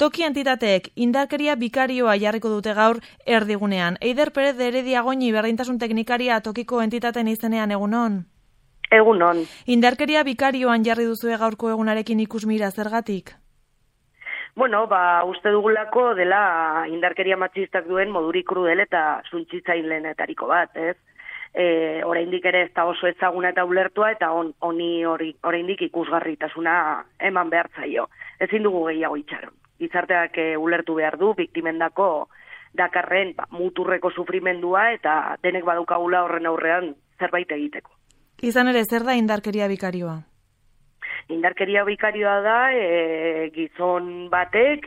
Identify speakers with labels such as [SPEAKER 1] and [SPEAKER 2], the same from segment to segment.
[SPEAKER 1] Toki entitateek indarkeria bikarioa jarriko dute gaur erdigunean. Eider Perez de Herediagoñi berdintasun teknikaria tokiko entitateen izenean, egunon?
[SPEAKER 2] Egunon.
[SPEAKER 1] Indarkeria bikarioan jarri duzue gaurko egunarekin ikusmira, zergatik?
[SPEAKER 2] Bueno, uste dugulako dela indarkeria matxistak duen modurik krudel eta suntsitzailenetariko bat, ez? Oraindik ere ez da oso ezaguna eta ulertua eta honi oraindik ikusgarritasuna eman behar zaio. Ezin dugu gehiago itxaron. Gizarteak ulertu behar du biktimendako dakarren muturreko sufrimendua eta denek badaukagula horren aurrean zerbait egiteko.
[SPEAKER 1] Izan ere, zer da indarkeria bikarioa?
[SPEAKER 2] Indarkeria bikarioa da gizon batek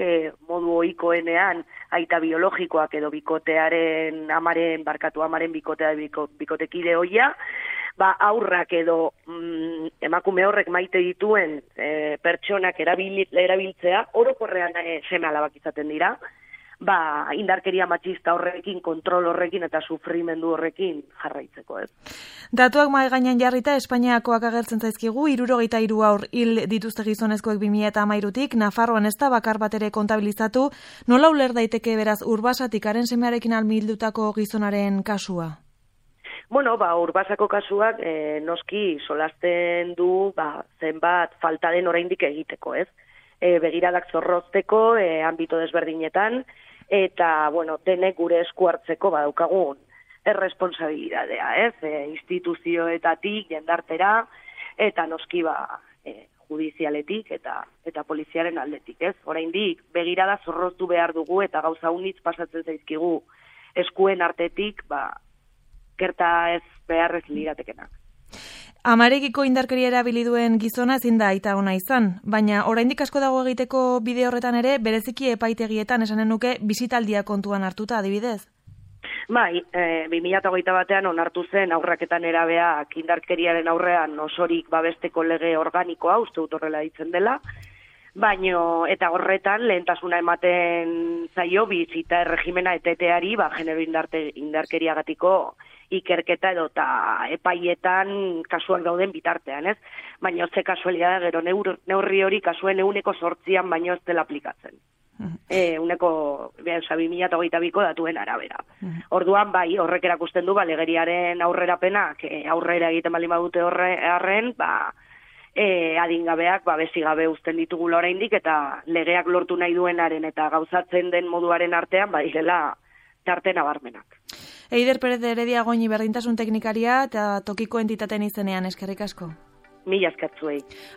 [SPEAKER 2] modu ohikoenean aita biologikoak edo amaren bikotea bikotekide hoia, aurrak edo emakume horrek maite dituen pertsonak erabiltzea, orokorrean seme alabak izaten dira, indarkeria matxista horrekin, kontrol horrekin eta sufrimendu horrekin jarraitzeko, ez.
[SPEAKER 1] Datuak mahai gainean jarrita Espainiakoak agertzen zaizkigu, 73 haur hil dituzte gizonezkoek 2013tik, Nafarroan ez da bakar bat ere kontabilizatu. Nola uler daiteke beraz Urbasatik haren semearekin almildutako gizonaren kasua?
[SPEAKER 2] Bueno, Urbasako kasuak noski solasten du zenbat falta den oraindik egiteko, ez? Begiradak zorrozteko, ambito desberdinetan, eta, denek gure esku hartzeko badaukagun erresponsabilidadea, ez? Instituzioetatik, jendartera, eta noski judizialetik eta poliziaren aldetik, ez? Oraindik begirada zorroztu behar dugu eta gauza unitz pasatzen zaizkigu eskuen artetik, gerta ez beharrez liratekenak.
[SPEAKER 1] Amarekiko indarkeria erabili duen gizona ezin da aita ona izan, baina oraindik asko dago egiteko bide horretan ere, bereziki epaitegietan esanen nuke bisitaldia kontuan hartuta adibidez.
[SPEAKER 2] 2021 batean onartu zen aurraketan erabeak indarkeriaren aurrean osorik babesteko lege organikoa, uste dut horrela ditzen dela, baino eta horretan lehentasuna ematen zaio bizita erregimena eteteari, genero indarkeriagatiko ikerketa edo eta epaietan kasuak dauden bitartean, ez? Baina ze kasualia da, gero neurri hori kasuen 8% baino ez dela aplikatzen. 2022ko datuen arabera. Orduan, horrek erakusten du, legeriaren aurrerapenak aurrera egiten baldin badute horren, adingabeak besigabe uzten ditugula oraindik eta legeak lortu nahi duenaren eta gauzatzen den moduaren artean direla tarte nabarmenak.
[SPEAKER 1] Eider Perez de Herediagoñi berdintasun teknikaria eta tokiko entitateen izenean, eskerrik asko.
[SPEAKER 2] Mila esker zuei.